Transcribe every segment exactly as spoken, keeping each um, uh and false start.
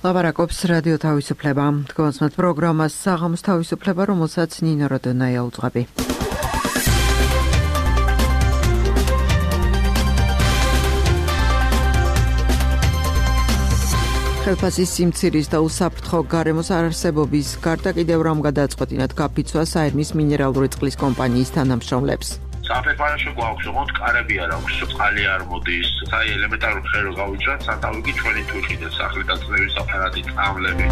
ლაპარაკობს რადიო თავისუფლება. თქვენს პროგრამას საღამოს თავისუფლება, რომელსაც ნინო როდონაია უძღვები. ხელფასის სიმცირის და უსაფრთხო გარემოს არარსებობის გარდა კიდევ რამ გადაწყვეტინათ გაფიცვა საერმის მინერალური წყლის კომპანიის თანამშრომლებს. საფეფარაში გვაქვს, ოღონდ კარები არ აქვს, წყალი არ მოდის, საი ელემენტარული ხერო გავიჭრათ, სათავე კი ჩვენი თვითი და სახლი და წლების აპარატი წამლები.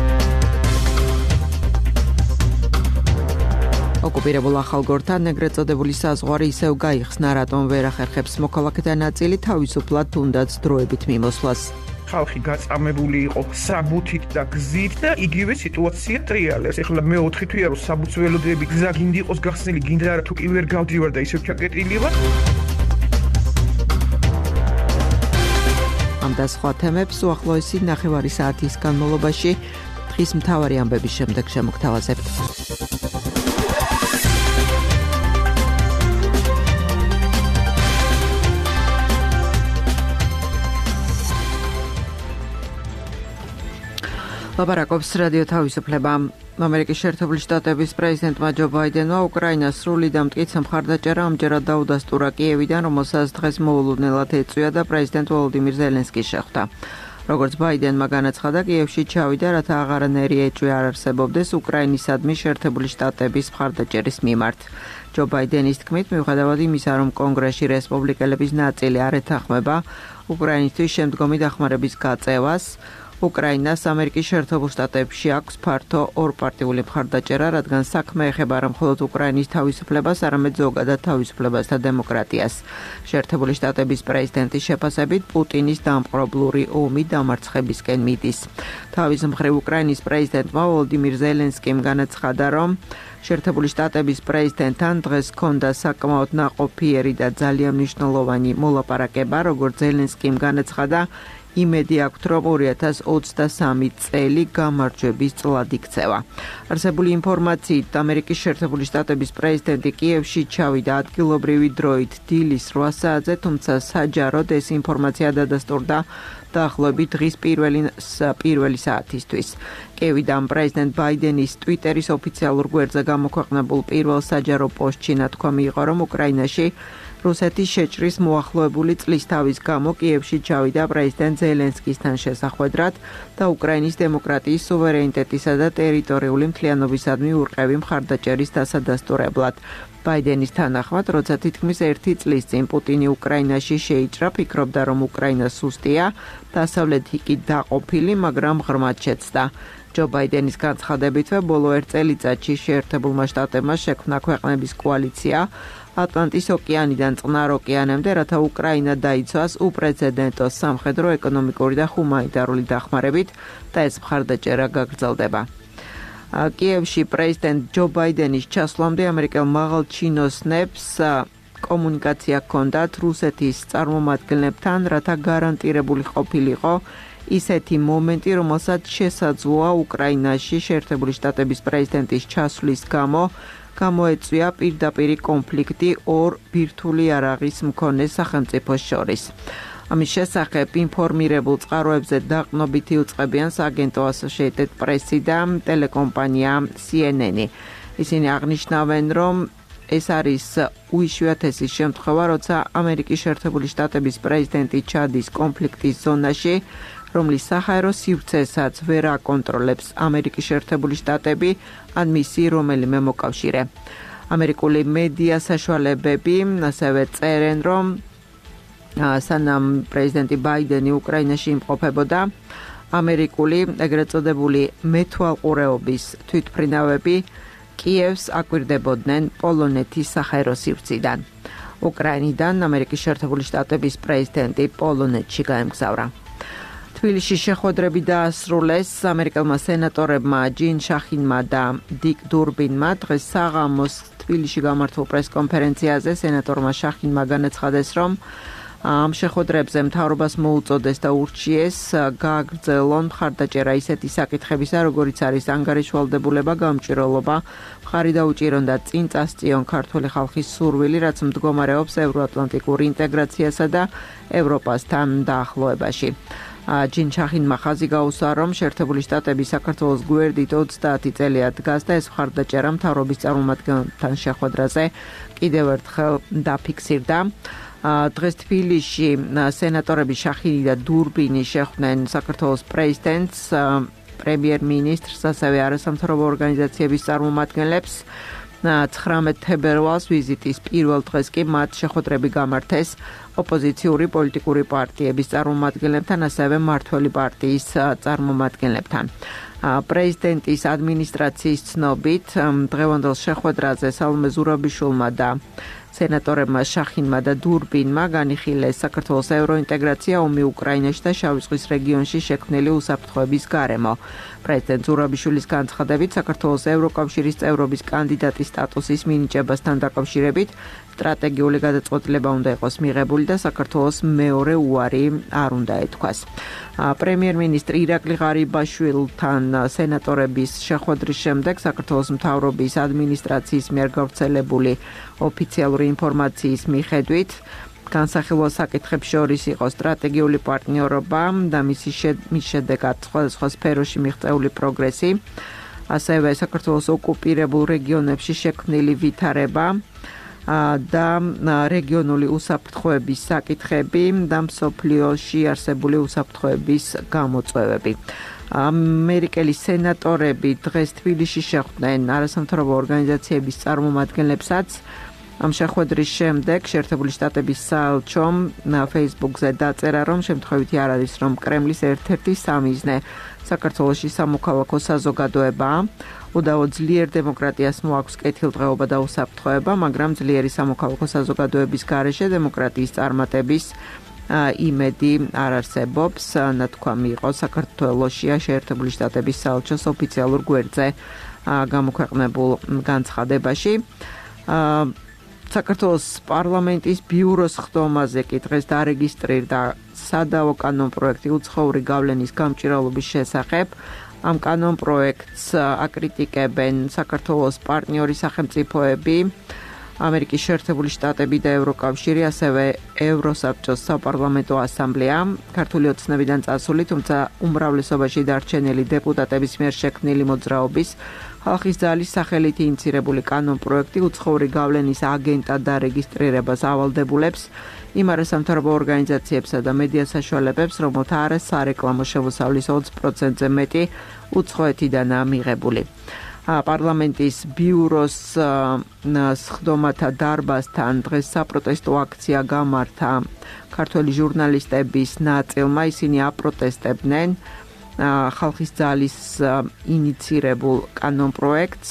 ოკუპირებულ ახალგორთან ეგრეთ წოდებული საზღვარი ისევ გაიხსნა, რატომ ვერ ახერხებს მოქალაქეთა ნაწილი თავისუფლად თუნდაც დროებით მიმოსვლას. ხალხი გაწამებული იყო საბუთით და გზით და იგივე სიტუაცია ტრიალებს. ეხლა მე ოთხი თვეა რომ საბუთველოდები გზა გინდა იყოს გახსნილი, გინდა არა თუ კი ვერ გავდივარ და ისევ ჩაკეტილი ვარ. ამ და სხვა თემებს უახლოესი ნახევარი საათის განმავლობაში დღის მთავარი ამბების შემდეგ შემოგთავაზებთ. ლაპარაკობს რადიო თავისუფლება. ამერიკის შეერთებული შტატების პრეზიდენტმა ჯო ბაიდენმა უკრაინას სრული და მტკიცე მხარდაჭერა ამჯერად დაუდასტურა კიევიდან, რომელსაც დღეს მოულოდნელად ეწვია და პრეზიდენტ ვოლოდიმირ ზელენსკი შეხვდა. როგორც ბაიდენმა განაცხადა, კიევში ჩავიდა, რათა აღარანაირი ეჭვი არ არსებობდეს უკრაინისადმი შეერთებული შტატების მხარდაჭერის მიმართ. ჯო ბაიდენის თქმით, მიუხედავად იმისა, რომ კონგრესში რესპუბლიკელების ნაწილი არ ეთანხმება უკრაინისთვის შემდგომი დახმარების გაწევას, უკრაინას ამერიკის შეერთებულ შტატებში აქვს ფართო ორპარტიული მხარდაჭერა, რადგან საქმე ეხება არა მხოლოდ უკრაინის თავისუფლებას, არამედ ზოგადად თავისუფლებას და დემოკრატიას. შეერთებული შტატების პრეზიდენტის შეფასებით, პუტინის დამპყრობლური ომი დამარცხებისკენ მიდის. თავის მხრივ უკრაინის პრეზიდენტმა ვოლოდიმირ ზელენსკიმ განაცხადა, რომ შეერთებული შტატების პრეზიდენტთან დღეს ჰქონდა საკმაოდ ნაყოფიერი და ძალიან მნიშვნელოვანი მოლაპარაკება, როგორც ზელენსკიმ განაცხადა, იმედი აქვთ, რომ ორი ათას ოცდასამი წელი გამარჯვების წლად იქცევა. არსებული ინფორმაციით, ამერიკის შეერთებული შტატების პრეზიდენტი კიევში ჩავიდა ადგილობრივი დროით დილის რვა საათზე, თუმცა საჯაროდ ეს ინფორმაცია დადასტურდა დაახლოებით დღის პირველი პირველი საათისთვის. კიევიდან პრეზიდენტ ბაიდენის ტვიტერის ოფიციალურ გვერდზე გამოქვეყნებულ პირველ საჯარო პოსტში ნათქვამი იყო, რომ უკრაინაში რუსეთის შეჭრის მოახლოებული წლის თავის გამო კიევში ჩავიდა პრეზიდენტ ზელენსკისთან შესახვედრად და უკრაინის დემოკრატიის სუვერენიტეტისა და ტერიტორიული მთლიანობისადმი ურყევი მხარდაჭერის დასადასტურებლად. ბაიდენის თანახმად, როცა თითქმის ერთი წლის წინ პუტინი უკრაინაში შეიჭრა, ფიქრობდა, რომ უკრაინა სუსტია, დასავლეთი კი დაყოფილი, მაგრამ ღრმად შეცდა. ჯო ბაიდენის განცხადებითვე, ბოლო ერთ წელიწადში შეერთებულმა შტატებმა შექმნა ქვეყნების კოალიცია ატლანტის ოკეანიდან წყნარ ოკეანემდე, რათა უკრაინა დაიცვას უპრეცედენტო სამხედრო, ეკონომიკური და ჰუმანიტარული დახმარებით და ეს მხარდაჭერა გაგრძელდება. კიევში პრეზიდენტ ჯო ბაიდენის ჩასვლამდე ამერიკელ მაღალჩინოსნებს კომუნიკაცია ჰქონდათ რუსეთის წარმომადგენლებთან, რათა გარანტირებული ყოფილიყო ისეთი მომენტი, რომელსაც შესაძლოა უკრაინაში შეერთებული შტატების პრეზიდენტის ჩასვლის გამო გამოეწვია პირდაპირი კონფლიქტი ორ ბირთვული იარაღის მქონე სახელმწიფოს შორის. ამის შესახებ ინფორმირებულ წყაროებზე დაყრდნობითი უწყებიან სააგენტო Associated Press და ტელეკომპანია C N N. ისინი აღნიშნავენ, რომ ეს არის უიშვიათესი შემთხვევა, როცა ამერიკის შეერთებული შტატების პრეზიდენტი ჩადის კონფლიქტის ზონაში, რომლის საჰაერო სივრცესაც ვერ აკონტროლებს ამერიკის შეერთებული შტატები ან მისი რომელიმე მოკავშირე. ამერიკული მედია საშუალებები ასევე წერენ, რომ სანამ პრეზიდენტი ბაიდენი უკრაინაში იმყოფებოდა, ამერიკული ეგრეთ წოდებული მეთვალყურეობის თვითმფრინავები კიევს აკვირდებოდნენ პოლონეთის საჰაერო სივრციდან. უკრაინიდან ამერიკის შეერთებული შტატების პრეზიდენტი პოლონეთში გაემგზავრა. თბილისში შეხვედრები დაასრულეს ამერიკელმა სენატორებმა ჯინ შახინმა და დიკ დურბინმა. დღეს საღამოს თბილისში გამართულ პრესკონფერენციაზე სენატორმა შახინმა განაცხადეს, რომ ამ შეხვედრებზე მთავრობას მოუწოდეს და ურჩიეს გააგრძელონ მხარდაჭერა ისეთი საკითხებისა, როგორიც არის ანგარიშვალდებულება, გამჭვირვალობა, მხარი დაუჭირონ და წინ წასწიონ ქართული ხალხის სურვილი, რაც მდგომარეობს ევროატლანტიკურ ინტეგრაციასა და ევროპასთან დაახლოებაში. ჯინ ჩახინმა ხაზი გაუსვა, რომ შეერთებული შტატები საქართველოს გვერდით ოცდაათი წელია დგას და ეს მხარდაჭერა მთავრობის წარმომადგენელთან შეხვედრაზე კიდევ ერთხელ დაფიქსირდა. დღეს თბილისში სენატორები შახინი და დურბინი შეხვდნენ საქართველოს პრეზიდენტს, პრემიერ-მინისტრს, ასევე არასამთავრობო ორგანიზაციების წარმომადგენლებს. ცხრამეტ თებერვალს ვიზიტის პირველ დღეს კი მათ შეხვედრები გამართეს ოპოზიციური პოლიტიკური პარტიების წარმომადგენლებთან, ასევე მმართველი პარტიის წარმომადგენლებთან. პრეზიდენტის ადმინისტრაციის ცნობით, დღევანდელ შეხვედრაზე სალომე ზურაბიშვილმა და სენატორებმა შახინმა და დურბინმა განიხილეს საქართველოს ევროინტეგრაცია ომი უკრაინაში და შავი ზღვის რეგიონში შექმნილი უსაფრთხოების გარემო. პრეზიდენტ ზურაბიშვილის განცხადებით, საქართველოს ევროკავშირის წევრობის კანდიდატის სტატუსის მინიჭებასთან დაკავშირებით სტრატეგიული გადაწყვეტილება უნდა იყოს მიღებული და საქართველოს მეორე უარი არ უნდა ეთქვას. პრემიერ-მინისტრი ირაკლი ღარიბაშვილთან სენატორების შეხვედრის შემდეგ საქართველოს მთავრობის ადმინისტრაციის მიერ გავრცელებული ოფიციალური ინფორმაციის მიხედვით განსახილვა საკითხებს შორის იყო სტრატეგიული პარტნიორობა და მისი შედეგად სხვადასხვა სფეროში მიღწეული პროგრესი, ასევე საქართველოს ოკუპირებულ რეგიონებში შექმნილი ვითარება და რეგიონული უსაფრთხოების საკითხები და მსოფლიოში არსებული უსაფრთხოების გამოწვევები. ამერიკელი სენატორები დღეს თბილისში შეხვდნენ არასამთავრობო ორგანიზაციების წარმომადგენლებსაც. ამ შეხვედრის შემდეგ შეერთებული შტატების საელჩომ Facebook-ზე დაწერა, რომ შემთხვევითი არ არის, რომ კრემლის ერთ-ერთი სამიზნე საქართველოში სამოქალაქო საზოგადოებაა. უდავო ძლიერ დემოკრატიას მოაქვს კეთილდღეობა და უსაფრთხოება, მაგრამ ძლიერი სამოქალაქო საზოგადოების გარეშე დემოკრატიის წარმატების იმედი არ არსებობს, ნათქვამი იყო საქართველოშია შეერთებული შტატების საელჩოს ოფიციალურ გვერდზე გამოქვეყნებულ განცხადებაში. საქართველოს პარლამენტის ბიუროს ხდომაზე კი დღეს დარეგისტრირდა სადავო კანონპროექტი უცხოური გავლენის გამჭირვალობის შესახებ. ამ კანონპროექტს აკრიტიკებენ საქართველოს პარტნიორი სახელმწიფოები, ამერიკის შეერთებული შტატები და ევროკავშირი, ასევე ევროსაბჭოს საპარლამენტო ასამბლეა. ქართული ოცნებიდან წასული, თუმცა უმრავლესობაში დარჩენილი დეპუტატების მიერ შექმნილი მოძრაობის ხალხის ძალის სახელით ინიცირებული კანონპროექტი უცხოური გავლენის აგენტად დარეგისტრირებას ავალდებულებს იმ არასამთავრობო ორგანიზაციებსა და მედია საშუალებებს, რომელთა არის სარეკლამო შემოსავლის ოცი პროცენტზე მეტი უცხოეთიდანაა მიღებული. პარლამენტის ბიუროს სხდომათა დარბაზთან დღეს საპროტესტო აქცია გამართა ქართველი ჟურნალისტების ნაწილმა. ისინი აპროტესტებდნენ ხალხის ძალის ინიცირებულ კანონპროექტს.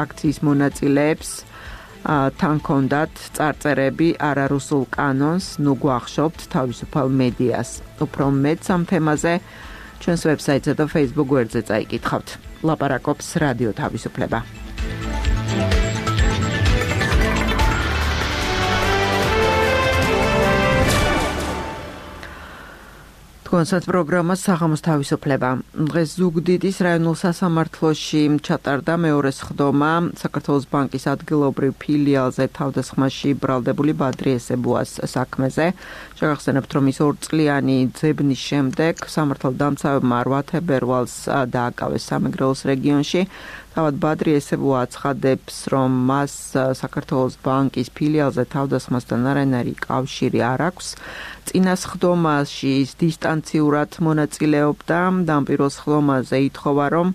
აქციის მონაწილეებს თან ჰქონდათ წარწერები არარუსულ კანონს, ნუ გვახშობთ თავისუფალ მედიას. უფრო მეტს ამ თემაზე ჩვენს ვებსაიტზე და Facebook გვერდზე წაიკითხავთ. ლაპარაკობს რადიო თავისუფლება. კონცერტ პროგრამა საღამოს თავისუფლება. დღეს ზუგდიდის რაიონულ სასამართლოში ჩატარდა მეორე სხდომა საქართველოს ბანკის ადგილობრივ ფილიალზე თავდასხმაში ბრალდებული ბადრი ესებუას საქმეზე. შეგახსენებთ, რომ ის ორწლიანი ძებნის შემდეგ სამართალდამცავებმა რვა თებერვალს დააკავეს სამეგრელოს რეგიონში. თავად ბადრი ესებუა აცხადებს, რომ მას საქართველოს ბანკის ფილიალზე თავდასხმასთან არანაირი კავშირი არ აქვს. წინა სხდომაში ის დისტანციურად მონაწილეობდა და ამ პირველ სხდომაზე ითხოვა, რომ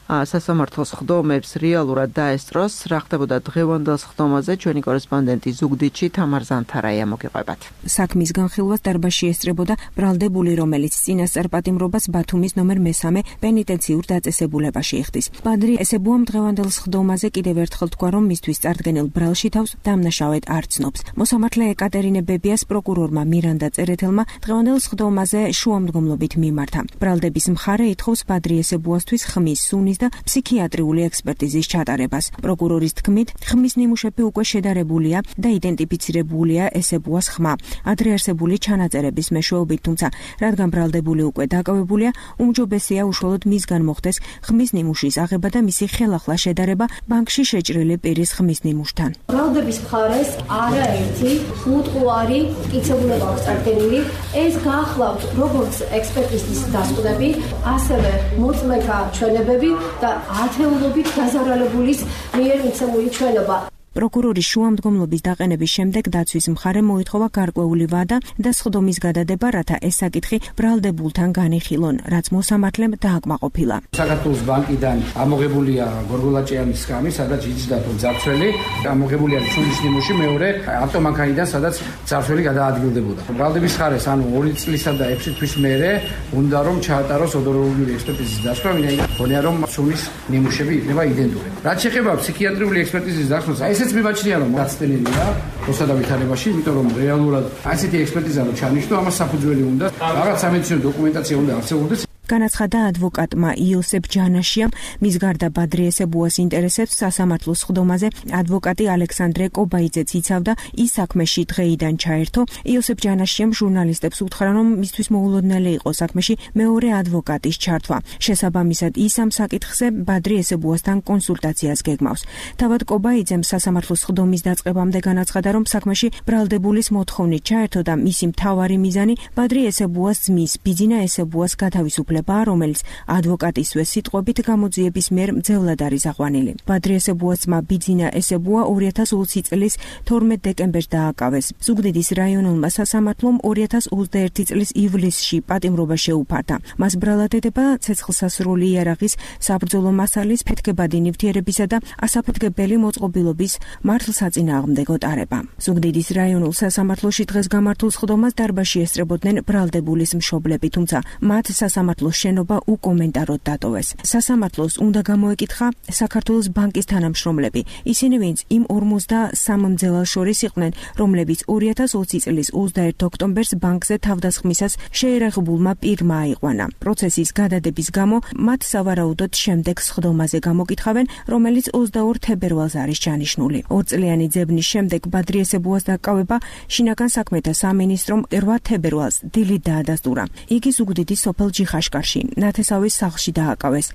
სასამართლოს სხდომებს რეალურად დაესწროს. რა ხდებოდა დღევანდელ სხდომაზე, ჩვენი კორესპონდენტი ზუგდიდში თამარ ზანთარაია მოგიყვებათ. საქმის განხილვას დარბაზში ესწრებოდა ბრალდებული, რომელიც წინასწარ პატიმრობას ბათუმის ნომერ მესამე პენიტენციურ დაწესებულებაში იხდის. ბადრი ესებუამ დღევანდელ სხდომაზე კიდევ ერთხელ თქვა, რომ მისთვის წარდგენილ ბრალში თავს დამნაშავედ არ ცნობს. მოსამართლე ეკატერინე ბებიას პროკურორმა მირანდა წერეთელმა დღევანდელ სხდომაზე შუამდგომლობით მიმართა. ბრალდების მხარე ითხოვს ბადრი ესებუასთვის ხმის, სუნის შეძენის და ფსიქიატრიული ექსპერტიზის ჩატარებას. პროკურორის თქმით, ხმის ნიმუშები უკვე შედარებულია და იდენტიფიცირებულია ესებუას ხმა. ადრე არსებული ჩანაწერების მეშვეობით, თუმცა რადგან ბრალდებული უკვე დაკავებულია, უმჯობესია უშუალოდ მისგან მოხდეს ხმის ნიმუშის აღება და მისი ხელახლა შედარება ბანკში შეჭრილი პირის ხმის ნიმუშთან. ბრალდების მხარეს არაერთი უტყუარი მტკიცებულება აქვს წარდგენილი. ეს გაახლავთ როგორც ექსპერტიზის დასკვნები, ასევე მოწმეთა ჩვენებები და ათეულობით დაზარალებულის მიერ მიცემული ჩვენება. პროკურორის შუამდგომლობის დაყენების შემდეგ დაცვის მხარემ მოითხოვა გარკვეული ვადა და სხდომის გადადება, რათა ეს საკითხი ბრალდებულთან განიხილონ, რაც მოსამართლემ დააკმაყოფილა. საქართველოს ბანკიდან ამოღებულია გორგოლაჭიანის სკამი, სადაც იჯდა თუ ძარცველი, ამოღებულია ჩულის ნიმუში მეორე ავტომანქანიდან, სადაც ძარცველი გადაადგილდებოდა. ბრალდების მხარეს, ანუ ორი წლისა და ექვსი თვის მერე უნდა რომ ჩაატაროს ოდოროლოგიური ექსპერტიზის დასკვნა, ვინაიდან გონია რომ ჩულის ნიმუშები იქნება იდენტური. რაც შეეხება ფსიქიატრიული ექსპერტიზის დასკვნას, ეს ეს მიმაჩნია რომ გაცდენილია როსა და ვითარებაში, იმიტომ რომ რეალურად ასეთი ექსპერტიზა რო ჩანიშნო, ამას საფუძველი უნდა, რაღაც სამედიცინო დოკუმენტაცია უნდა არსებობდეს. განაცხადა ადვოკატმა იოსებ ჯანაშიამ, მის გარდა ბადრი ესებუას ინტერესებს სასამართლოს სხდომაზე ადვოკატი ალექსანდრე კობაიძეც იცავდა, ის საქმეში დღეიდან ჩაერთო. იოსებ ჯანაშიამ ჟურნალისტებს უთხრა, რომ მისთვის მოულოდნელი იყო საქმეში მეორე ადვოკატის ჩართვა. შესაბამისად, ის ამ საკითხზე ბადრი ესებუასთან კონსულტაციას გეგმავს. თავად კობაიძემ სასამართლოს სხდომის დაწყებამდე განაცხადა, რომ საქმეში ბრალდებულის მოთხოვნით ჩაერთო და მისი მთავარი მიზანი ბადრი ესებუას ძმის ბიძინა ესებუას გათავისუფლება, რომელიც ადვოკატისვე სიტყვებით გამოძიების მიერ მძევლად არის აყვანილი. ბადრი ესებუას ძმა ბიძინა ესებუა ორი ათას ოცი წლის თორმეტ დეკემბერს დააკავეს. ზუგდიდის რაიონულმა სასამართლომ ორი ათას ოცდაერთი წლის ივლისში პატიმრობა შეუფარდა. მას ბრალად ედება ცეცხლსასროლი იარაღის, საბრძოლო მასალის, ფეთქებადი ნივთიერებისა და ასაფეთქებელი მოწყობილობის მართლსაწინააღმდეგო ტარება. ზუგდიდის რაიონულ სასამართლოში დღეს გამართულ სხდომას დარბაზში ესწრებოდნენ ბრალდებულის მშობლები, თუმცა მათ სასამართლო შენობა უკომენტაროდ დატოვეს. სასამართლოს უნდა გამოეკითხა საქართველოს ბანკის თანამშრომლები, ისინი ვინც იმ ორმოცდასამ მძევალს შორის იყვნენ, რომლებიც ორი ათას ოცი წლის ოცდაერთი ოქტომბერს ბანკზე თავდასხმისას შეერაღებულმა პირმა აიყვანა. პროცესის გადადების გამო მათ სავარაუდოდ შემდეგ სხდომაზე გამოკითხავენ, რომელიც ოცდაორ თებერვალს არის ჩანიშნული. ორწლიანი ძებნის შემდეგ ბადრი ესებუას დაკავება შინაგან საქმეთა სამინისტრომ რვა თებერვალს დილით დაადასტურა. იგი ზუგდიდის სოფელ ჯიხაშკარში, ნათესავის სახლში დააკავეს.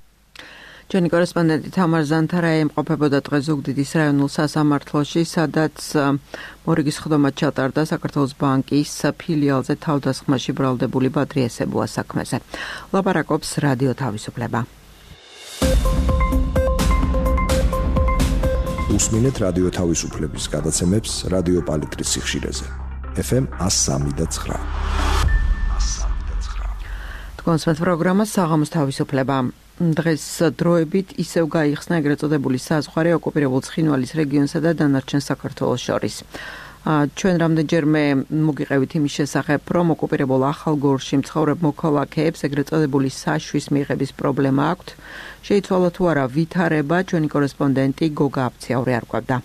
ჩვენი კორესპონდენტი თამარ ზანთარაი იმყოფებოდა დღეს ზუგდიდის რაიონულ სასამართლოში, სადაც მორიგის სხდომა ჩატარდა საქართველოს ბანკის ფილიალზე თავდასხმაში ბრალდებული ბადრი ესებუას საქმეზე. ლაპარაკობს რადიო თავისუფლება. უსმინეთ რადიო თავისუფლების გადაცემებს რადიო პალიტრის სიხშირეზე. ეფ ემ ას სამი და ცხრა. კონსერტ პროგრამა საღამოს თავისუფლება. დღეს დროებით ისევ გაიხსნა ეგრეთ წოდებული საზღვარი ოკუპირებულ ცხინვალის რეგიონსა და დანარჩენ საქართველოს შორის. ჩვენ რამდენჯერმე მოგიყევით იმის შესახებ, რომ ოკუპირებულ ახალგორში მცხოვრებ მოქალაქეებს ეგრეთ წოდებული საშვის მიღების პრობლემა აქვთ. შეიცვალა თუ არა ვითარება, ჩვენი კორესპონდენტი გოგა აფციაური არკვევდა.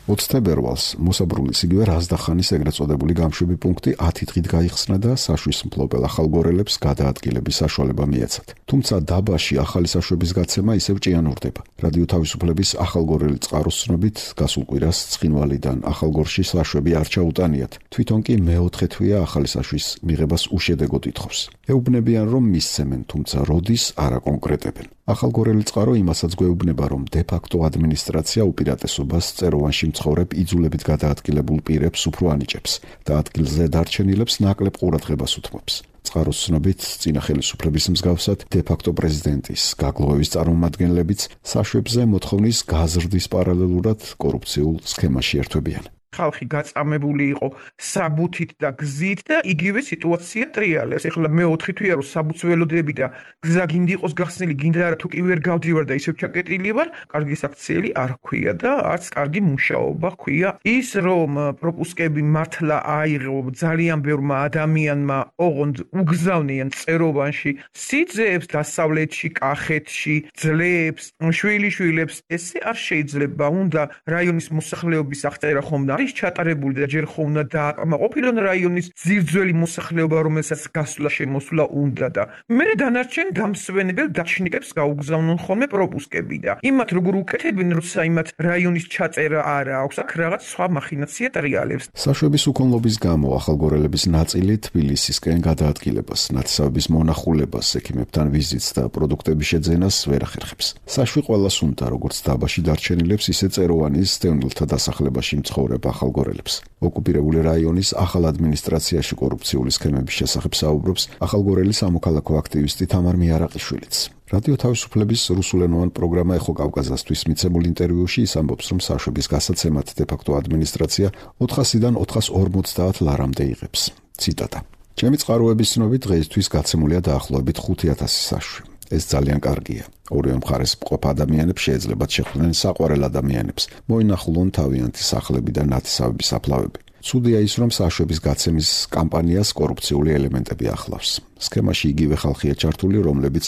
ოცი თებერვალს მოსაბრულის იგივე რაზდახანის ეგრეთ წოდებული გამშვები პუნქტი ათი დღით გაიხსნა და საშვის მფლობელ ახალგორელებს გადაადგილების საშუალება მიეცათ. თუმცა დაბაში ახალი საშვების გაცემა ისევ ჭიანურდება. რადიო თავისუფლების ახალგორელი წყაროს ცნობით, გასულ კვირას ცხინვალიდან ახალგორში საშვები არ ჩაუტანიათ. თვითონ კი მეოთხე თვეა ახალი საშვის მიღებას უშედეგოდ ითხოვს. ეუბნებიან, რომ მისცემენ, თუმცა როდის არ აკონკრეტებენ. ახალგორელი წყარო იმასაც გვეუბნება, რომ დე-ფაქტო ადმინისტრაცია უპირატესობას წეროვანში მცხოვრებ იძულებით გადაადგილებულ პირებს უფრო ანიჭებს და ადგილზე დარჩენილებს ნაკლებ ყურადღებას უთმობს. წყაროს ცნობით, წინა ხელისუფლების მსგავსად დე-ფაქტო პრეზიდენტის გაგლოვების წარმომადგენლებიც საშვებზე მოთხოვნის გაზრდის პარალელურად კორუფციულ სქემაში ერთვებიან. ხალხი გაწამებული იყო საბუთით და გზით და იგივე სიტუაცია ტრიალებს. ეხლა მეოთხე თვეა რომ საბუთველოდები და გზა გინდა იყოს გახსნილი, გინდა არა თუ კი ვერ გავდივარ და ისევ ჩაკეტილი ვარ, კარგი საქციელი არ ჰქვია და არც კარგი მუშაობა ჰქვია. ის რომ პროპუსკები მართლა აიღო ძალიან ბევრმა ადამიანმა, ოღონდ უგზავნიან წეროვანში სიძეებს, დასავლეთში, კახეთში, ძლებს, შვილიშვილებს, ესე არ შეიძლება. უნდა რაიონის მოსახლეობის აღწერა ხომ და არის ჩატარებული და ჯერ ხო უნდა დააკმაყოფილონ რაიონის ძირძველი მოსახლეობა, რომელსაც გასვლა შემოსვლა უნდა და მერე დანარჩენ დამსვენებელ დაჩნიკებს გაუგზავნონ ხოლმე პროპუსკები და იმათ როგორ უკეთებენ, როცა იმათ რაიონის ჩაწერა არ აქვს, აქ რაღაც სხვა მახინაცია ტრიალებს. საშვების უქონლობის გამო ახალგორელების ნაწილი თბილისისკენ გადაადგილებას, ნათესავების მონახულებას, ექიმებთან ვიზიტს და პროდუქტების შეძენას ვერ ახერხებს. საშვი ყველას უნდა, როგორც დაბაში დარჩენილებს, ისე წეროვანის დევნილთა დასახლებაში მცხოვრებ ახალგორელებს. ოკუპირებული რაიონის ახალ ადმინისტრაციაში კორუფციული სქემების შესახებ საუბრობს ახალგორელი სამოქალაქო აქტივისტი თამარ მიარაყიშვილიც. რადიო თავისუფლების რუსულენოვან პროგრამა ეხო კავკაზასთვის მიცემულ ინტერვიუში ის ამბობს, რომ საშვების გასაცემად დე-ფაქტო ადმინისტრაცია ოთხასიდან ოთხას ორმოცდაათ ლარამდე იღებს. ციტატა. ჩემი წყაროების ცნობით დღეისთვის გაცემულია დაახლოებით ხუთი ათასი საშვი. ეს ძალიან კარგია. ორივე მხარეს მყოფ ადამიანებს შეეძლებათ შეხვდნენ საყვარელ ადამიანებს, მოინახულონ თავიანთი სახლები და ნათესავების საფლავები. ცუდია ის, რომ საშვების გაცემის კამპანიას კორუფციული ელემენტები ახლავს. სქემაში იგივე ხალხია ჩართული, რომლებიც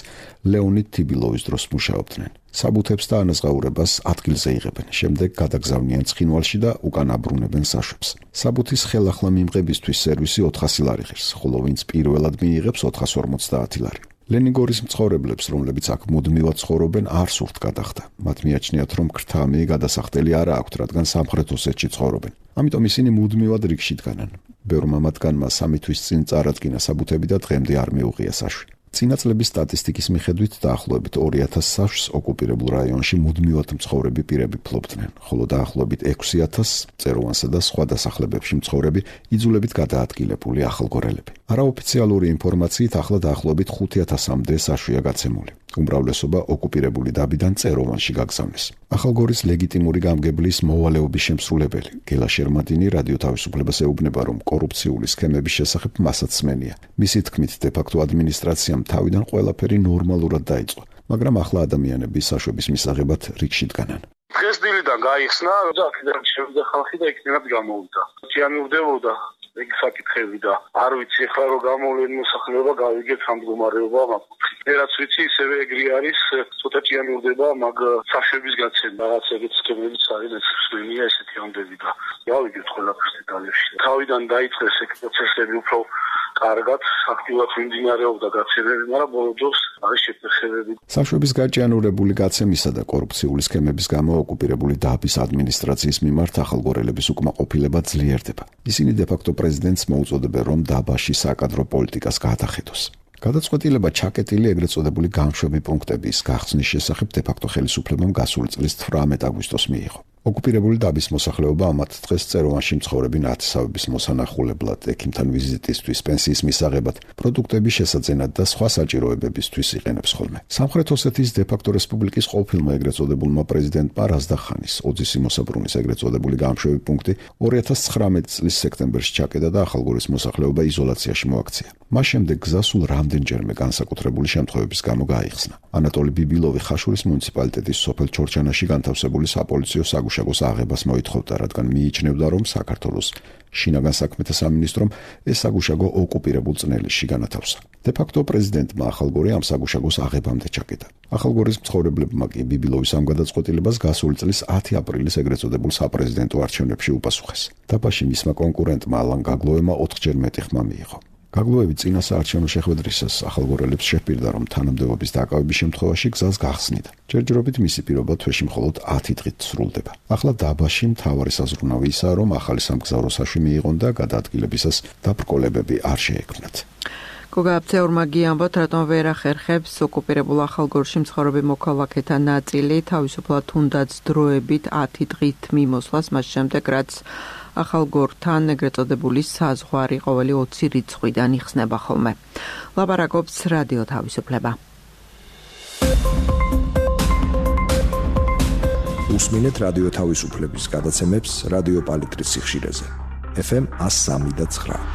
ლეონიდ თიბილოვის დროს მუშაობდნენ. საბუთებს და ანაზღაურებას ადგილზე იღებენ, შემდეგ გადაგზავნიან ცხინვალში და უკან აბრუნებენ საშვებს. საბუთის ხელახლა მიმღებისთვის სერვისი ოთხასი ლარი ღირს, ხოლო ვინც პირველად მიიღებს ოთხას ორმოცდაათი ლარი. ლენინგორის მცხოვრებლებს, რომლებიც აქ მუდმივად ცხოვრობენ, არ სურთ გადახდა. მათ მიაჩნიათ, რომ ქრთამი გადასახდელი არ აქვთ, რადგან სამხრეთ ოსეთში ცხოვრობენ. ამიტომ ისინი მუდმივად რიგში დგანან. ბევრმა მათგანმა სამი თვის წინ წარადგინა საბუთები და დღემდე არ მიუღია საშვი. წინა წლების სტატისტიკის მიხედვით დაახლოებით ორი ათასი საშვს ოკუპირებულ რაიონში მუდმივად მცხოვრები პირები ფლობდნენ, ხოლო დაახლოებით ექვსი ათასს წეროვანსა და სხვა დასახლებებში მცხოვრები იძულებით გადაადგილებული ახალგორელები. არაოფიციალური ინფორმაციით ახლა დაახლოებით ხუთი ათასამდე საშვია გაცემული. უმრავლესობა ოკუპირებული დაბიდან წეროვანში გაგზავნეს. ახალგორის ლეგიტიმური გამგებლის მოვალეობის შემსრულებელი გელა შერმადინი რადიო თავისუფლებას ეუბნება, რომ კორუფციული სქემების შესახებ მასაც სმენია. მისი თქმით, დე-ფაქტო ადმინისტრაციამ თავიდან ყველაფერი ნორმალურად დაიწყო, მაგრამ ახლა ადამიანები საშვების მისაღებად რიგში დგანან. დღეს დილიდან გაიხსნა და აქედან შევიდა ხალხი და იქნებად გამოვიდა. ჭიანურდებოდა ეგ საკითხები და არ ვიცი ახლა რომ გამოვლენ მოსახლეობა გავიგეთ ამ მდგომარეობა მაგ რაც ვიცი ისევე ეგრე არის ცოტა ჭიანურდება მაგ საშვების გაცემა რაღაც ეგეთ სქემებიც არის ესწრებია ესეთი ამდები და გავიგეთ ყველაფერს დეტალებში თავიდან დაიწყეს ეგ პროცესები უფრო კარგად აქტიურად მიმდინარეობდა გაცემები, მაგრამ ბოლო დროს არის შეფერხებები. საშვების გაჭიანურებული გაცემისა და კორუფციული სქემების გამო ოკუპირებული დაბის ადმინისტრაციის მიმართ ახალგორელების უკმაყოფილება ძლიერდება. ისინი დე-ფაქტო პრეზიდენტს მოუწოდებენ, რომ დაბაში საკადრო პოლიტიკას გაატახეთოს. გადაწყვეტილება ჩაკეტილი ეგრეთ წოდებული გამშვები პუნქტების გახსნის შესახებ დე-ფაქტო ხელისუფლებამ გასული წლის თვრამეტ აგვისტოს მიიღო. ოკუპირებული დაბის მოსახლეობა ამათ დღეს წეროვანში მცხოვრები ნათესავების მოსანახულებლად, ექიმთან ვიზიტისთვის, პენსიის მისაღებად, პროდუქტების შესაძენად და სხვა საჭიროებებისთვის იყენებს ხოლმე. სამხრეთ ოსეთის დე-ფაქტო რესპუბლიკის ყოფილმა ეგრეთ წოდებულმა პრეზიდენტმა რაზდახანის ოძისი მოსაბრუნის ეგრეთ წოდებული გამშვები პუნქტი ორი ათას ცხრამეტი წლის სექტემბერში ჩაკეტა და ახალგორის მოსახლეობა იზოლაციაში მოაქცია. მას შემდეგ გზასულ რამდენჯერმე განსაკუთრებული შემთხვევების გამო გაიხსნა. ანატოლი ბიბილოვი ხაშურის მუნიციპალიტეტის სოფელ ჩორჩანაში განთავსებული საპოლიციო საგუშაგოს აღებას მოითხოვდა, რადგან მიიჩნევდა, რომ საქართველოს შინაგან საქმეთა სამინისტრომ ეს საგუშაგო ოკუპირებულ წნელისში განათავსა. დე-ფაქტო პრეზიდენტმა ახალგორი ამ საგუშაგოს აღებამდე ჩაკეტა. ახალგორის მცხოვრებლებმა კი ბიბილოვის ამ გადაწყვეტილებას გასული წლის ათი აპრილის ეგრეთ წოდებულ საპრეზიდენტო არჩევნებში უპასუხეს. დაბაში მისმა კონკურენტმა ალან გაგლოემა ოთხჯერ მეტი ხმა მიიღო. გაგლოევი წინა საარჩევნო შეხვედრისას ახალგორელებს შეჰპირდა, რომ თანამდებობის დაკავების შემთხვევაში გზას გახსნიდა. ჯერჯერობით მისი პირობა თვეში მხოლოდ ათი დღით სრულდება. ახლა დაბაში მთავარი საზრუნავი ისაა, რომ ახალი სამგზავრო საშვი მიიღონ და გადაადგილებისას დაბრკოლებები არ შეექმნათ. გოგაბცეურმა გიამბოთ, რატომ ვერ ახერხებს ოკუპირებულ ახალგორში მცხოვრები მოქალაქეთა ნაწილი თავისუფლად თუნდაც დროებით ათი დღით მიმოსვლას, მას შემდეგ რაც ახალგორთან ეგრეთ წოდებული საზღვარი ყოველი ოცი რიცხვიდან იხსნება ხოლმე. ლაპარაკობს რადიო თავისუფლება. უსმინეთ რადიო თავისუფლების გადაცემებს რადიო პალიტრის სიხშირეზე. ეფ ემ one oh three და nine.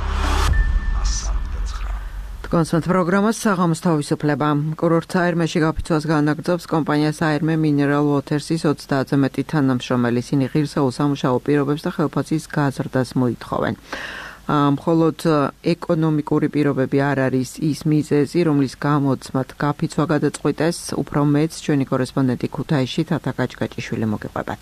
კონსულტ პროგრამას საღამოს თავისუფლება. კურორტ აირმეში გაფიცვას განაგრძობს კომპანია აირმე მინერალ ვოთერსის ოცდაათზე მეტი თანამშრომელი. ისინი ღირსეულ სამუშაო პირობებს და ხელფასის გაზრდას მოითხოვენ. მხოლოდ ეკონომიკური პირობები არ არის ის მიზეზი, რომლის გამოც მათ გაფიცვა გადაწყვიტეს, უფრო მეც ჩვენი კორესპონდენტი ქუთაისში თათა გაჭგაჭიშვილი მოგეყვებათ.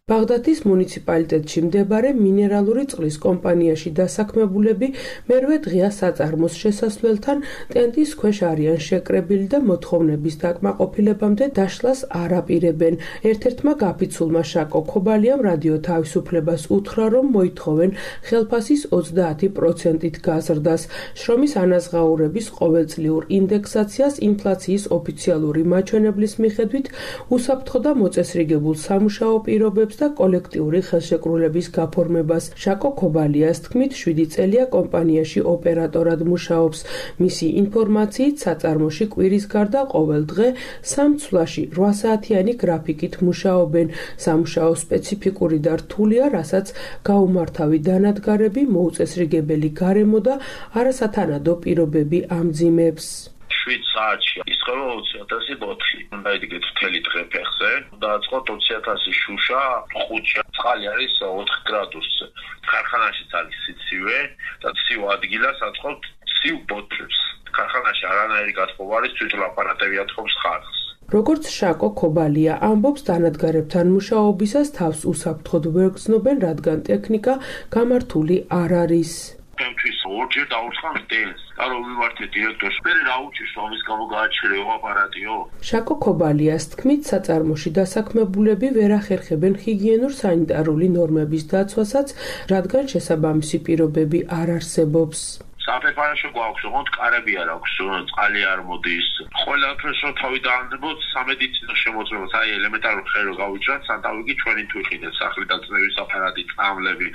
ბაღდადის მუნიციპალიტეტში მდებარე მინერალური წყლის კომპანიაში დასაქმებულები მერვე დღეა საწარმოს შესასვლელთან ტენტის ქვეშ არიან შეკრებილი და მოთხოვნების დაკმაყოფილებამდე დაშლას არ აპირებენ. ერთ-ერთმა გაფიცულმა შაკო ქობალიამ რადიო თავისუფლებას უთხრა, რომ მოითხოვენ ხელფასის ოცდაათი პროცენტით გაზრდას, შრომის ანაზღაურების ყოველწლიურ ინდექსაციას ინფლაციის ოფიციალური მაჩვენებლის მიხედვით, უსაფრთხო და მოწესრიგებულ სამუშაო პირობებს და კოლექტიური ხელშეკრულების გაფორმებას. შაკო ქობალიას თქმით, შვიდი წელია კომპანიაში ოპერატორად მუშაობს. მისი ინფორმაციით, საწარმოში კვირის გარდა ყოველ დღე სამ ცვლაში რვა საათიანი გრაფიკით მუშაობენ. სამუშაო სპეციფიკური და რთულია, რასაც გაუმართავი დანადგარები, მოუწესრიგებელი გარემო და არასათანადო პირობები ამძიმებს. შვიდ საათში ისხება ოცი ათასი ბოთლი. უნდა იდიგეთ მთელი დღე ფეხზე, დააწყოთ ოცი ათასი შუშა, ხუთში. წყალი არის ოთხ გრადუსზე. ქარხანაშიც არის სიცივე და ცივ ადგილას აწყობთ ცივ ბოთლებს. ქარხანაში არანაირი გათხოვა არის, თვითონ აპარატები აწყობს ხარხს. როგორც შაკო ქობალია ამბობს, დანადგარებთან მუშაობისას თავს უსაფრთხოდ ვერ გრძნობენ, რადგან ტექნიკა გამართული არ არის. Tempis orger დაუცხან სტელს. და რომ ვიმართე დირექტორს, მე რა უჩის რომ ის გამო გააჩერეო აპარატიო. შაკო ქობალიას თქმით, საწარმოში დასაქმებულები ვერ ახერხებენ ჰიგიენურ სანიტარული ნორმების დაცვასაც, რადგან შესაბამისი პირობები არ არსებობს. საფეფარაშო გვაქვს, ოღონდ კარები არ აქვს, წყალი არ მოდის. ყველაფერს რო თავი დაანდებოთ, სამედიცინო შემოწმებას, აი ელემენტარული ხე რო გავიჭრათ, სანტავიგი ჩვენი თუ იყიდეთ, სახლი დაწნევის აპარატი, წამლები,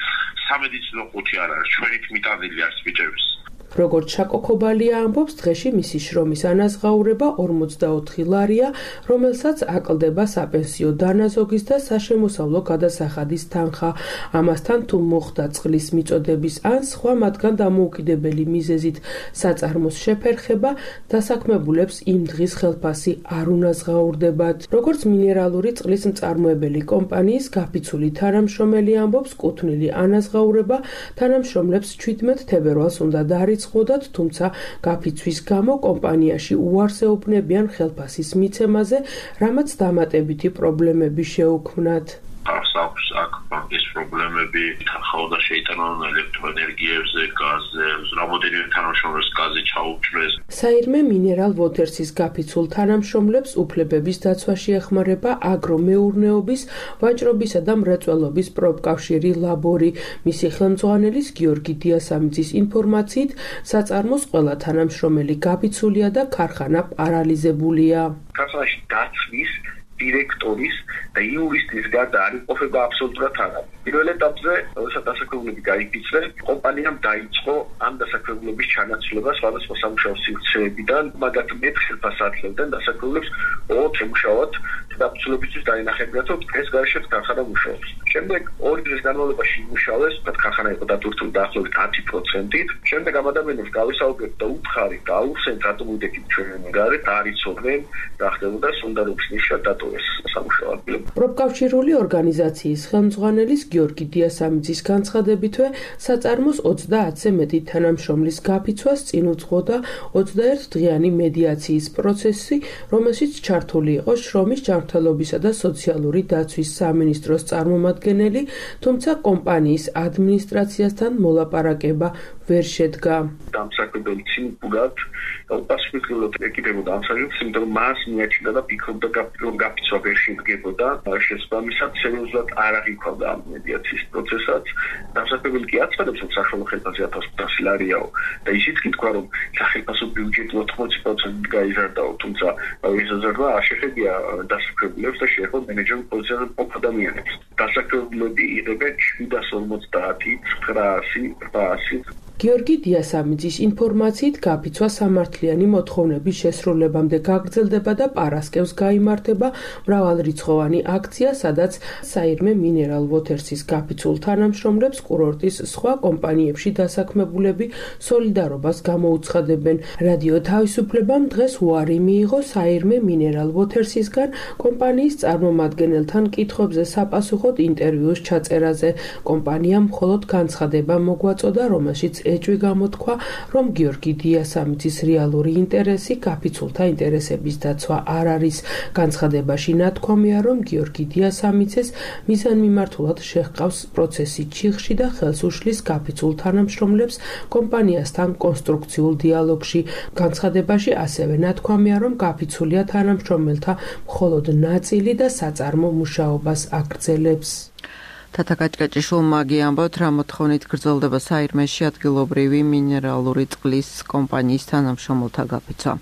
სამედიცინო ყუთი არ არის, ჩვენი მიტანილი არის ბიჭების. როგორც შაკო ქობალია ამბობს, დღეში მისი შრომის ანაზღაურება ორმოცდაოთხი ლარია, რომელსაც აკლდება საპენსიო დანაზოგის და საშემოსავლო გადასახადის თანხა. ამასთან თუ მოხდა წყლის მიწოდების ან სხვა მათგან დამოუკიდებელი მიზეზით საწარმოს შეფერხება, დასაქმებულებს იმ დღის ხელფასი არ უნაზღაურდებათ. როგორც მინერალური წყლის მწარმოებელი კომპანიის გაფიცული თანამშრომელი ამბობს, კუთვნილი ანაზღაურება თანამშრომლებს ჩვიდმეტ თებერვალს უნდა დაარიცხოთ, თუმცა გაფიცვის გამო კომპანიაში უარსეობნებიან ხელფასის მიცემაზე, რამაც დამატებითი პრობლემები შეუქმნათ. არსაქვს აქ ბანკის პრობლემები, თანხაოდა შეიტანონ ელექტროენერგიებზე, გაზზე, რამოდენიმე თანამშრომლებს გაზი ჩაუჭრეს. საირმე მინერალ ვოთერსის გაფიცულ თანამშრომლებს უფლებების დაცვაში ეხმარება აგრომეურნეობის, ვაჭრობისა და მრეწველობის პროფკავშირი ლაბორი. მისი ხელმძღვანელის გიორგი დიასამიძის ინფორმაციით, საწარმოს ყველა თანამშრომელი გაფიცულია და ქარხანა პარალიზებულია. ქარხანაში დაცვის დირექტორის და იურისტის გარდა არ იყოფება აბსოლუტურად არა. პირველ ეტაპზე, როდესაც დასაქმებულები გაიფიცრეს, კომპანიამ დაიწყო ამ დასაქმებულების ჩანაცვლება სხვადასხვა სამუშაო სივრცეებიდან, მაგათ მეტ ხელფასს ატლებდნენ დასაქმებულებს ოღონდ შემუშავად და აბსოლუტურად დაინახებინათ, რომ დღეს გარშემო ქარხანა მუშაობს. შემდეგ ორი დღის განმავლობაში იმუშავეს, მათ ქარხანა იყო დატვირთული დაახლოებით ათი პროცენტით. შემდეგ ამ ადამიანებს გავისაუბრეთ და უთხრით, აუხსენთ რატომ უდექით ჩვენი გარე, დაარიცოდნენ, რა ხდებოდა, სუნდარობის ნიშა დატოვეს სამუშაო ადგილები. პროფკავშირული ორგანიზაციის ხელმძღვანელის გიორგი დიასამიძის განცხადებითვე, საწარმოს ოცდაათზე მეტი თანამშრომლის გაფიცვას წინ უძღოდა ოცდაერთი დღიანი მედიაციის პროცესი, რომელშიც ჩართული იყო შრომის ჯანმრთელობისა და სოციალური დაცვის სამინისტროს წარმომადგენელი, თუმცა კომპანიის ადმინისტრაციასთან მოლაპარაკება ვერ შედგა. დამსაქმებელი ცინკურად უპასუხებლად ეკიდებოდა ამ საკითხს, იმიტომ რომ მას მიაჩნდა და ფიქრობდა რომ გაფიცვა ვერ შედგებოდა. შესაბამისად, სერიოზულად არ აღიქვამდა ამ მედიაციის პროცესაც. დამსაქმებელი კი აცხადებს, რომ საშუალო ხელფასი ათას ოცდაათი ლარიაო და ისიც კი თქვა, რომ სახელმწიფო ბიუჯეტი ოთხმოცი პროცენტით გაიზარდაო, თუმცა ეს ზრდა არ შეხედია დასაქმებულებს და შეეხო მენეჯერულ პოზიციაზე მყოფ ადამიანებს. დასაქმებულები იღებენ შვიდას ორმოცდაათი, ცხრაასი, რვაასი. გიორგი დიასამიძის ინფორმაციით, გაფიცვა სამართლიანი მოთხოვნების შესრულებამდე გაგრძელდება და პარასკევს გაიმართება მრავალრიცხოვანი აქცია, სადაც საირმე მინერალ ვოთერსის გაფიცულ თანამშრომლებს კურორტის სხვა კომპანიებში დასაქმებულები სოლიდარობას გამოუცხადებენ. რადიო თავისუფლებამ დღეს უარი მიიღო საირმე მინერალ ვოთერსისგან კომპანიის წარმომადგენელთან კითხვებზე საპასუხოდ ინტერვიუს ჩაწერაზე. კომპანიამ მხოლოდ განცხადება მოგვაწოდა, რომელშიც ეჭვი გამოთქვა, რომ გიორგი დიასამიცის რეალური ინტერესი კაფიცულთა ინტერესების დაცვა არ არის. განცხადებაში ნათქვამია, რომ გიორგი დიასამიცეს მიზანმიმართულად შეჰყავს პროცესი ჩიხში და ხელს უშლის კაფიცულ თანამშრომლებს კომპანიასთან კონსტრუქციულ დიალოგში. განცხადებაში ასევე ნათქვამია, რომ კაფიცულია თანამშრომელთა მხოლოდ ნაწილი და საწარმო მუშაობას აგრძელებს. თათა კაჭკაჭიშვილმა გიამბოთ, რა მოთხოვნით გრძელდება საირმეში ადგილობრივი მინერალური წყლის კომპანიის თანამშრომელთა გაფიცვა.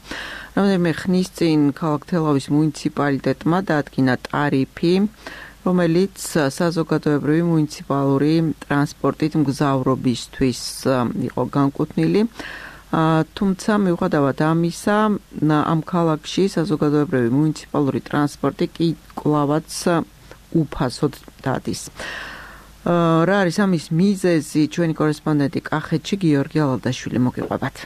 რამდენიმე ხნის წინ ქალაქ თელავის მუნიციპალიტეტმა დაადგინა ტარიფი, რომელიც საზოგადოებრივი მუნიციპალური ტრანსპორტით მგზავრობისთვის იყო განკუთვნილი. თუმცა მიუხედავად ამისა, ამ ქალაქში საზოგადოებრივი მუნიციპალური ტრანსპორტი კი კვლავაც უფასოდ დადის. რა არის ამის მიზეზი? ჩვენი კორესპონდენტი კახეთში გიორგი ალადაშვილი მოგიყვებათ.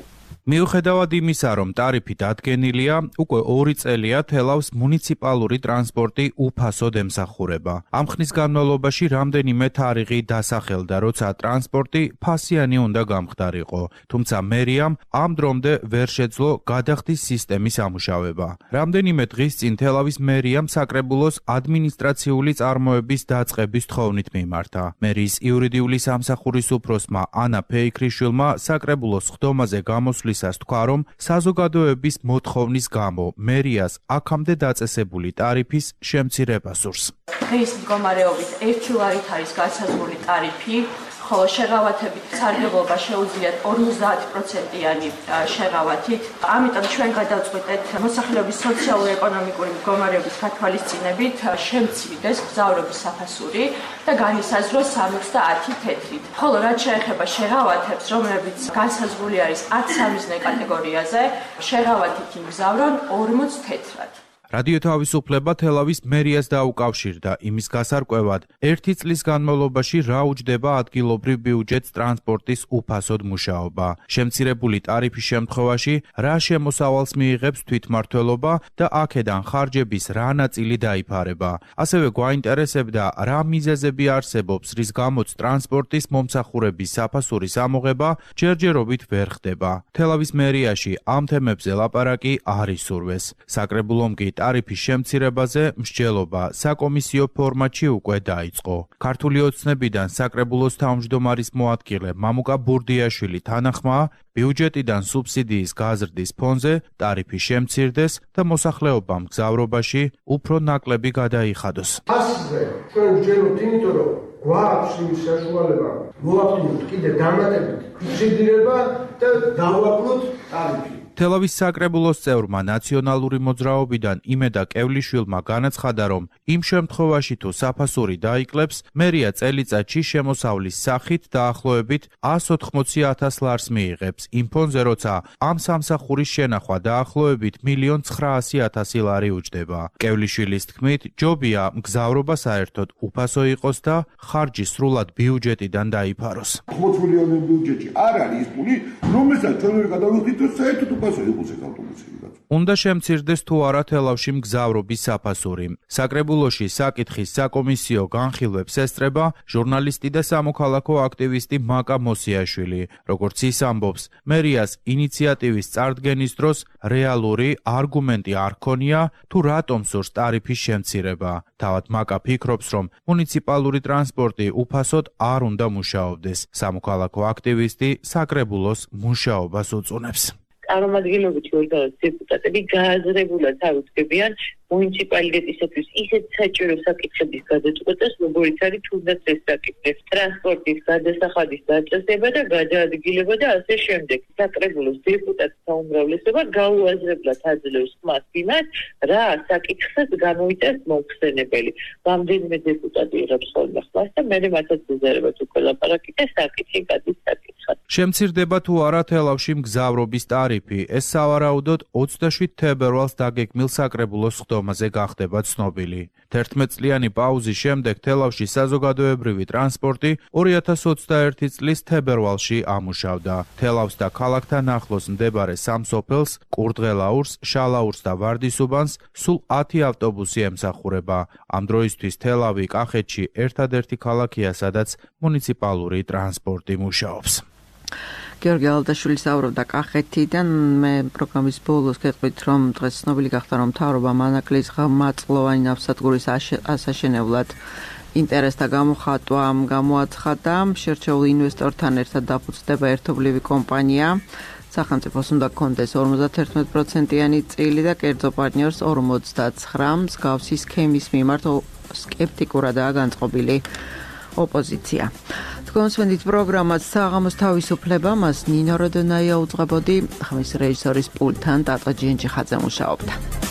მიუხედავად იმისა, რომ ტარიფი დადგენილია, უკვე ორი წელია თელავს მუნიციპალური ტრანსპორტი უფასოდ ემსახურება. ამ ხნის განმავლობაში რამდენიმე თარიღი დასახელდა, როცა ტრანსპორტი ფასიანი უნდა გამხდარიყო, თუმცა მერიამ ამ დრომდე ვერ შეძლო გადახდის სისტემის ამუშავება. რამდენიმე დღის წინ თელავის მერიამ საკრებულოს ადმინისტრაციული წარმოების დაწყების თხოვნით მიმართა. მერიის იურიდიული სამსახურის უფროსმა ანა ფეიქრიშვილმა საკრებულოს ხდომაზე გამოსვლის თქვა, რომ საზოგადოების მოთხოვნის გამო მერიას აქამდე დაწესებული ტარიფის შემცირება სურს. დღის მდგომარეობით ერთი ლარით არის განსაზღვრული ტარიფი, ხოლო შეღავათებით სარგებლობა შეუძლიათ ორმოცდაათი პროცენტიანი შეღავათით. ამიტომ ჩვენ გადავწყვიტეთ მოსახლეობის სოციალურ-ეკონომიკური მდგომარეობის გათვალისწინებით შემცირდეს მგზავრობის საფასური და განისაზღვროს სამოცდაათი თეთრით. ხოლო რაც შეეხება შეღავათებს, რომლებიც განსაზღვრული არის ათი სამიზნე კატეგორიაზე, შეღავათით იმგზავრონ ორმოც თეთრად. რადიო თავისუფლება თელავის მერიას დაუკავშირდა იმის გასარკვევად, ერთი წლის განმავლობაში რა უჯდება ადგილობრივ ბიუჯეტს ტრანსპორტის უფასოდ მუშაობა. შემცირებული ტარიფის შემთხვევაში რა შემოსავალს მიიღებს თვითმმართველობა და აქედან ხარჯების რა ნაწილი დაიფარება. ასევე გვაინტერესებდა, რა მიზეზები არსებობს, რის გამოც ტრანსპორტის მომსახურების საფასურის ამოღება ჯერჯერობით ვერ ხდება. თელავის მერიაში ამ თემებზე ლაპარაკი არ ისურვეს. საკრებულომ კი ტარიფის შემცირებაზე მსჯელობა საკომისიო ფორმატში უკვე დაიწყო. ქართული ოცნებიდან საკრებულოს თავმჯდომარის მოადგილე მამუკა ბურდიაშვილი თანახმაა, ბიუჯეტიდან სუბსიდიის გაზრდის ფონზე ტარიფი შემცირდეს და მოსახლეობამ მგზავრობაში უფრო ნაკლები გადაიხადოს. ასზე ჩვენ ვჯეროთ, იმიტომ რომ გვაქვს იმის საშუალება მოვაფრინოთ კიდე დამატებით ფიქსირება და დავაკლოთ ტარიფი. თელავის საკრებულოს წევრმა ნაციონალური მოძრაობიდან იმედა კევლიშვილმა განაცხადა, რომ იმ შემთხვევაში თუ საფასური დაიკლებს, მერია წელიწადში შემოსავლის სახით დაახლოებით ას ოთხმოცი ათას ლარს მიიღებს, იმ ფონზე, როცა ამ სამსახურის შენახვა დაახლოებით მილიონ ცხრაასი ათასი ლარი უჯდება. კევლიშვილის თქმით, ჯობია მგზავრობა საერთოდ უფასო იყოს და ხარჯი სრულად ბიუჯეტიდან დაიფაროს. ოთხმოცი მილიონი ბიუჯეტში არ არის ის ფული, რომელსაც ჩვენ ვერ გადავიხდით, რომ საერთოდ უნდა შემცირდეს თუ არა თელავში მგზავრობის საფასური. საკრებულოში საკითხის საკომისიო განხილვებს ესწრება ჟურნალისტი და სამოქალაქო აქტივისტი მაკა მოსიაშვილი. როგორც ის ამბობს, მერიას ინიციატივის წარდგენის დროს რეალური არგუმენტი არ ქონია თუ რატომ სურს ტარიფის შემცირება. თავად მაკა ფიქრობს, რომ მუნიციპალური ტრანსპორტი უფასოდ არ უნდა მუშაობდეს. სამოქალაქო აქტივისტი საკრებულოს მუშაობას უწუნებს. წარმომადგენლობითი ორგანოს დეპუტატები გააზრებულად აღუდგებიან მუნიციპალიტეტისათვის ისეთ საჭირო საკითხების გადაწყვეტას, როგორიც არის თუნდაც ეს საკითხი, ტრანსპორტის გადასახადის დაწესება და გადაადგილება და ასე შემდეგ. საკრებულოს დეპუტატთა უმრავლესობა გაუაზრებლად აძლევს ხმას იმას, რა საკითხსაც გამოიტანს მომხსენებელი. რამდენიმე დეპუტატი იღებს ხოლმე ხმას და მე მათაც უზარებად უკვე ლაპარაკი და საკითხი გადის საკითხად. შემცირდება თუ არა თელავში მგზავრობის ტარიფი, ეს სავარაუდოდ ოცდაშვიდ თებერვალს დაგეგმილ საკრებულოს ხდომაზე გახდება ცნობილი. თერთმეტწლიანი პაუზის შემდეგ თელავში საზოგადოებრივი ტრანსპორტი ორი ათას ოცდაერთი წლის თებერვალში ამუშავდა. თელავს და ქალაქთან ახლოს მდებარე სამ სოფელს, კურდღელაურს, შალაურს და ვარდისუბანს სულ ათი ავტობუსი ემსახურება. ამ დროისთვის თელავი კახეთში ერთადერთი ქალაქია, სადაც მუნიციპალური ტრანსპორტი მუშაობს. გიორგი ალდაშვილი საუბრობდა კახეთიდან. მე პროგრამის ბოლოს გეტყვით, რომ დღეს ცნობილი გახდა, რომ მთავრობა მანაკლის ღრმაწლოვანი ნავსადგურის ასაშენებლად ინტერესთა გამოხატვა გამოაცხადა. შერჩეულ ინვესტორთან ერთად დაფუძნდება ერთობლივი კომპანია. სახელმწიფოს უნდა გქონდეს ორმოცდაათი პროცენტიანი წილი და კერძო პარტნიორს ორმოცდაცხრა. მსგავსი სქემის მიმართ სკეპტიკურადაა განწყობილი ოპოზიცია. თქვენსვენდით პროგრამას საღამოს თავისუფლება, მას ნინო როდონაია უძღვებოდი, ხმის რეჟისორის პულტთან ტატო ჯენჯიხაძე მუშაობდა.